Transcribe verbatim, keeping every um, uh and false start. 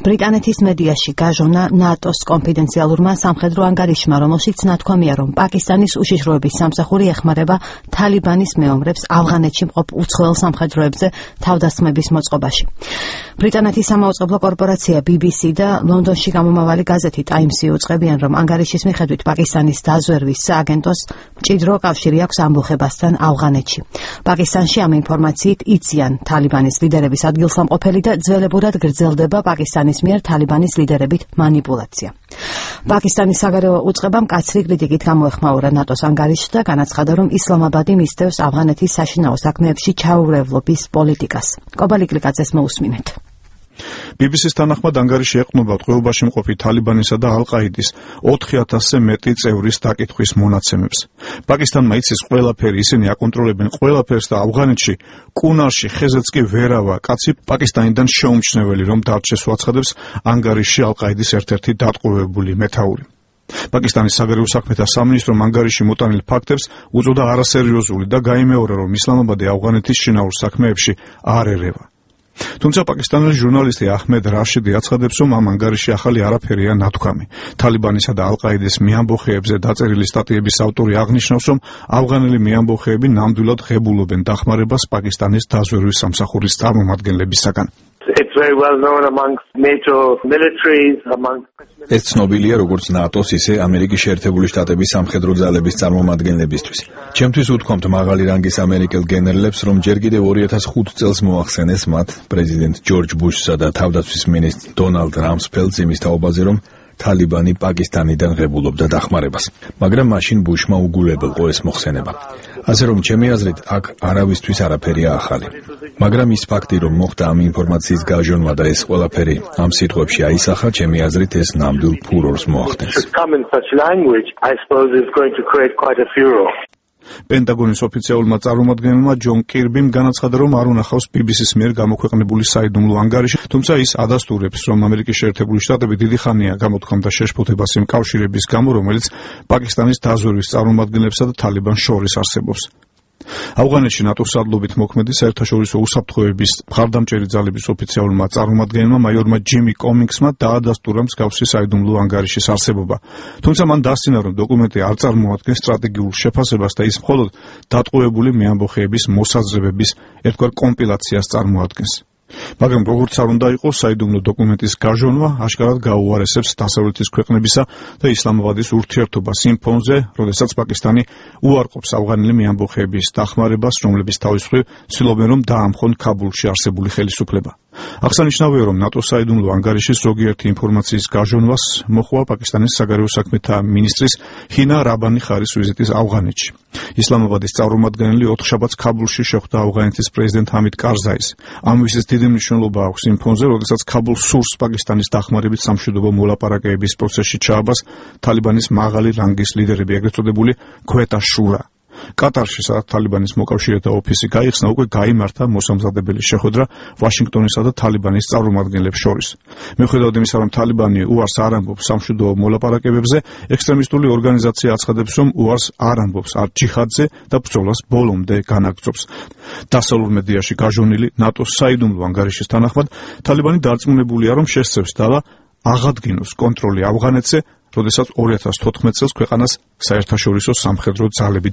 ბრიტანეთის მედიაში გაჟონა ნატოს კონფიდენციალურმა სამხედრო ანგარიშმა, რომელშიც ნათქვამია, რომ პაკისტანის უშიშროების სამსახური ეხმარება თალიბანის მეომრებს ავღანეთში მყოფ უცხოელ სამხედროებზე თავდასხმების მოწყობაში. ბრიტანეთის სამაუწყებლო კორპორაცია ბი ბი სი და ლონდონში გამომავალი გაზეთი ტაიმსი უწყებიან, რომ ანგარიშის მიხედვით პაკისტანის დაზვერვის სააგენტოს მჭიდრო კავშირი აქვს ამბოხებასთან ავღანეთში. პაკისტანში ამ ინფორმაციით იციან თალიბანის ლიდერების ადგილსამყოფელი და ძველებურად გრძელდება პაკისტანის მიერ თალიბანის ლიდერებით манипуляცია. პაკისტანის საგარეო უწყებამ კაცრი კრიტიკით გამოეხმაურა ნატოს ანგარიშს და განაცხადა, რომ ისლამაბადი მისდევს ავღანეთის საშინაო საქმეებში ჩაურევლობის პოლიტიკას. კობალი კლიკაძეს მოусმინეთ. ბი ბი სის თანახმად ანგარიში ეყრდნობა ტყვეობაში მყოფი თალიბანისა და ალ-ყაიდის ოთხი ათასზე მეტი წევრის დაკითხვის მონაცემებს. პაკისტანმა იცის ყველაფერი, ისინი აკონტროლებენ ყველაფერს და ავღანეთში კუნარში ხეზეც კი ვერავა კაცი პაკისტანიდან შეუმჩნეველი რომ დარჩეს უაცხადებს ანგარიში ალ-ყაიდის ერთ-ერთი დატყვევებული მეთაური. პაკისტანის საგარეო საქმეთა სამინისტრომ ანგარიში მოტანილ ფაქტებს უწოდა არასერიოზული და გაიმეორა, რომ ისლამაბადი ავღანეთის შინაურ საქმეებში არ ერევა. თუმცა პაკისტანელი ჟურნალისტი აჰმედ რაშიდი აცხადებს, რომ ამ ანგარიში ახალი არაფერია ნათქვამი. თალიბანისა და ალ-ყაიდის მეამბოხეებზე დაწერილი სტატიების ავტორი აღნიშნავს, რომ ავღანელი მეამბოხეები ნამდვილად ღებულობენ დახმარებას პაკისტანის დაზვერვის სამსახურის წარმომადგენლებისაგან. It's very well known amongst NATO militaries, amongst ეს ცნობილია როგორც ნატოს, ისე ამერიკის შეერთებული შტატების სამხედრო ძალების წარმომადგენლებისთვის. ჩემთვის უთქვამთ მაღალი რანგის ამერიკელ გენერლებს, რომ ჯერ კიდევ ორი ათას ხუთი წელს მოახსენეს მათ პრეზიდენტ ჯორჯ ბუშსა და თავდაცვის მინისტრ დონალდ რამსფელდს იმის თაობაზე, რომ თალიბანი პაკისტანიდან ღებულობდა დახმარებას. მაგრამ მაშინ ბუშმა უგულებელყო ეს მოხსენება. ასე რომ ჩემი აზრით აქ არავისთვის არაფერია ახალი. მაგრამ ის ფაქტი, რომ მოხდა ამ ინფორმაციის გაჟონვა და ეს ყველაფერი ამ სიტყვებში აისახა, ჩემი აზრით ეს ნამდვილ ფურორს მოახდენს. პენტაგონის ოფიციალურმა წარმომადგენელმა ჯონ კირბიმ განაცხადა, რომ არ უნახავს ბი ბი სის მიერ გამოქვეყნებული საიდუმლო ანგარიში, თუმცა ის ადასტურებს, რომ ამერიკის შეერთებული შტატები დიდი ხანია გამოთქვამდა შეშფოთებას იმ კავშირების გამო, რომელიც პაკისტანის დაზვერვის წარმომადგენლებსა და თალიბანს შორის არსებობს. ავღანეთში ნატოს სარდლობით მოქმედი საერთაშორისო უსაფრთხოების მხარდამჭერი ძალების ოფიციალურმა წარმომადგენელმა მაიორმა ჯიმი კომინგსმა დაადასტურა მსგავსი საიდუმლო ანგარიშის არსებობა. თუმცა მან დასცინა, რომ დოკუმენტი არ წარმოადგენს სტრატეგიულ შეფასებას და ის მხოლოდ დატყვევებული მეამბოხეების მოსაზრებების ერთგვარ კომპილაციას წარმოადგენს. მაგრამ როგორც არ უნდა იყოს, საიდუმლო დოკუმენტის გაჟონვა აშკარად გაუარესებს დასავლეთის ქვეყნებისა და ისლამაბადის ურთიერთობას იმ ფონზე, როდესაც პაკისტანი უარყოფს ავღანელი მეამბოხეების დახმარებას, რომლებიც თავის მხრივ ცდილობენ, რომ დაამხონ ქაბულში არსებული ხელისუფლება. აღსანიშნავია, რომ ნატოს საიდუმლო ანგარიშის ზოგიერთი ინფორმაციის გაჟონვას მოჰყვა პაკისტანის საგარეო საქმეთა მინისტრის ჰინა რაბანი ხარის ვიზიტის ავღანეთში. ისლამაბადის წარმომადგენელი ოთხშაბათს ქაბულში შეხვდა ავღანეთის პრეზიდენტ ჰამიდ კარზაის. ამ ვიზიტს დიდი მნიშვნელობა აქვს იმ ფონზე, როდესაც ქაბულს სურს პაკისტანის დახმარებით სამშვიდობო მოლაპარაკებების პროცესში ჩააბას თალიბანის მაღალი რანგის ლიდერები, ეგრეთ წოდებული ქვეტა შურა. კატარში, სადაც თალიბანის მოკავშირეთა ოფისი გაიხსნა, უკვე გაიმართა მოსამზადებელი შეხვედრა ვაშინგტონისა და თალიბანის წარმომადგენლებს შორის. მიუხედავად იმისა, რომ თალიბანი უარს არ ამბობს სამშვიდობო მოლაპარაკებებზე, ექსტრემისტული ორგანიზაცია აცხადებს, რომ უარს არ ამბობს არ ჯიჰადზე და ბრძოლას ბოლომდე განაგრძობს. დასავლურ მედიაში გაჟონილი ნატოს საიდუმლო ანგარიშის თანახმად, თალიბანი დარწმუნებულია, რომ შესწევს და აღადგინოს კონტროლი ავღანეთზე, როდესაც ორი ათას თოთხმეტ წელს ქვეყანას საერთაშორისო სამხედრო ძალები